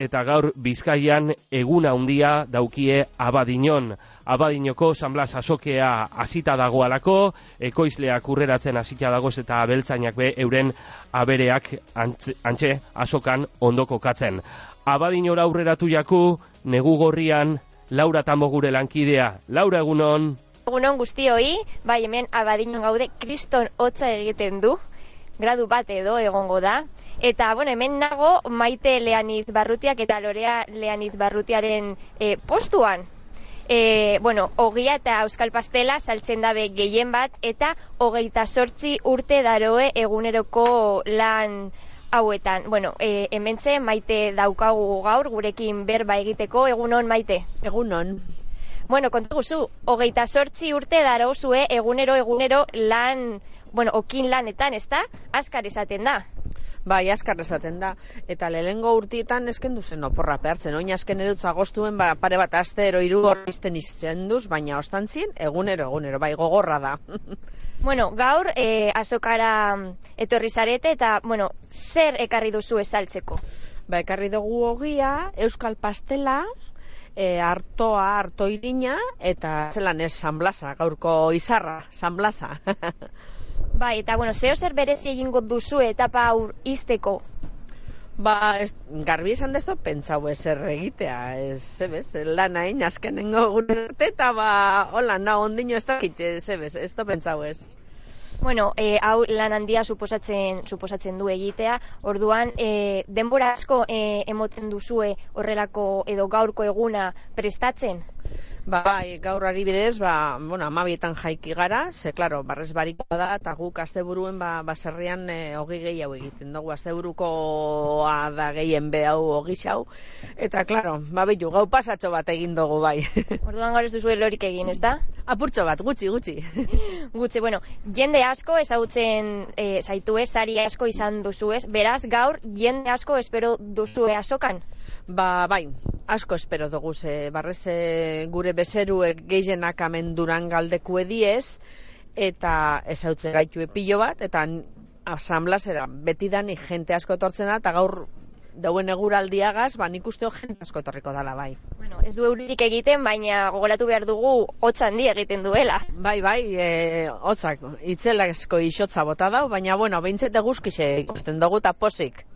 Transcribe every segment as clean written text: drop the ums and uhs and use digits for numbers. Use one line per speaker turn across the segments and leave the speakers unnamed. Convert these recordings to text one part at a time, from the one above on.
eta gaur Bizkaian eguna handia daukie Abadiñon. Abadiñoko San Blas azokea hasita dagoalako, ekoizleak urreratzen hasita dagoz eta abeltzainak be euren abereak antxe azokan ondo kokatzen. Abadiñora aurreratu jaku, negu gorrian, Laura Tambo gure lankidea. Laura, egunon?
Egunon guztioi, bai hemen Abadiñon gaude, kriston hotza egiten du, gradu bat edo egongo da. Eta, bueno, hemen nago Maite Leaniz Barrutiak eta Lorea Leaniz Barrutiaren postuan. Bueno, ogia eta euskal pastela saltzen dabe gehien bat, eta 28 urte daroe eguneroko lan hauetan. Bueno, hementxe Maite daukagu gaur, gurekin berba egiteko. Egunon, Maite?
Egunon.
Bueno, kontu guzu, 28 urte darouzue egunero lan, bueno, okin lanetan, ezta? Azkar esaten da.
Bai, azkar esaten da. Eta lehengo urtietan eskendu zen oporra pehartzen. Oin azken erutz agostuen pare bat astero 3 horrizten izten duz, baina ostantzien egunero, bai, gogorra da.
Bueno, gaur azokara etorri zarete eta, bueno, zer ekarri duzu esaltzeko?
Ba, ekarri dugu ogia, euskal pastela, arto irina, eta zelan ez San Blasa, gaurko izarra, San Blasa.
Bai, eta, bueno, zer berezi egingo duzu etapa aur izteko?
Ba, garbi esan desto pentsau ezer egitea, lan hain azkenengo gure arte, eta hola, ondino ez dakit, ez da pentsau ez.
Bueno, hau lan handia suposatzen du egitea, orduan, denbora asko emoten duzue horrelako edo gaurko eguna prestatzen?
Bai, gaur adibidez, bueno, 12etan jaiki gara, ze, klaro, barrez barikoa da, eta guk asteburuen baserrian ogi gehiago egiten dugu, asteburukoa da gehien behau ogi xau, eta, klaro, bitu, gau pasatxo bat egin dugu, bai.
Orduan gaur ez duzu lorik egin, ez da?
Apurtxo bat, gutxi.
Gutxi, bueno, jende asko ezagutzen zaitu ez, sari asko izan duzu ez, beraz, gaur jende asko espero duzue azokan?
Bai, asko espero dugu, barrez gure bezeruek gehienak amen Durangaldeku ediez, eta ezautzen gaitu pilo bat, eta San Blasera betidanik jente asko etortzen da, eta gaur dauen eguraldiagaz, nik usteo jente asko etorriko dala, bai.
Bueno, ez du euririk egiten, baina gogoratu behar dugu hotz handi egiten duela.
Bai, hotzak, itzelazko isotza bota dau, baina, bueno, behintzete guzkixe ikusten dugu eta posik.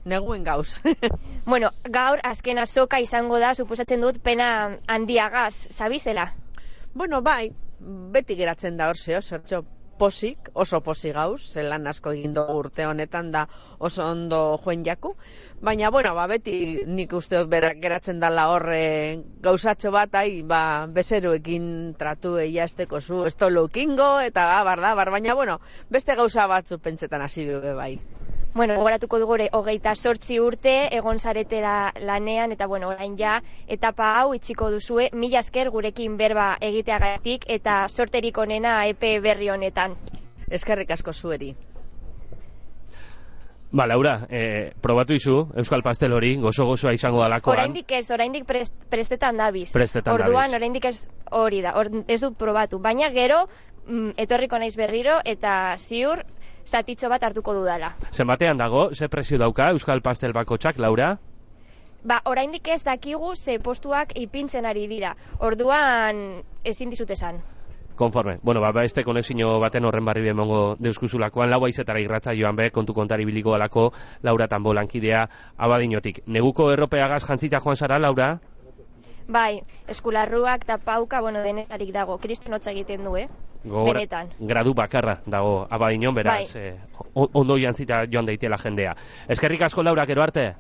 Neguen gauz.
Bueno, gaur azken azoka izango da, suposatzen dut pena handiagaz, sabizela?
Bueno, bai, beti geratzen da horzeo, zertxo posik, oso posik gauz, zelan asko egin dugu urte honetan da oso ondo joen jaku, baina, bueno, beti nik uste geratzen dala horre gauzatxo bat, bezeruekin tratu eiazteko zu, ez tolo ukingo, eta baina, bueno, beste gauza batzu pentsetan hasi bebe bai.
Bueno, gogoratuko dugure 28 urte egon zaretela lanean, eta bueno, orain ja, etapa hau itxiko duzue, mila esker gurekin berba egiteagatik eta sorterik onena epe berri honetan.
Eskerrik asko zueri.
Ba, Laura, probatu izu, euskal pastel hori, gozo-gozoa izango dalakoan.
Oraindik prestetan dabiz.
Orduan,
oraindik ez hori da, ez dut probatu, baina gero etorriko naiz berriro eta ziur zatitxo bat hartuko dudala.
Zenbatean dago, ze prezio dauka euskal pastel bakotxak, Laura?
Ba, oraindik ez dakigu ze postuak ipintzen ari dira. Orduan ezin dizut esan.
Konforme. Bueno, este konexio baten horren barri bemongo deuskuzulakoan, 4:00 irratza joan be, kontu kontari biliko alako, Laura Tambo lankidea Abadiñotik. Neguko erropeagaz jantzita joan zara, Laura?
Bai, eskularruak eta pauka, bueno, denetarik dago. Kriston hotza egiten du, benetan.
Gradu bakarra dago Abadiñon, beraz, ondo jantzita joan daitela jendea. Eskerrik asko, Laura, gero arte?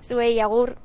Zuei, agur.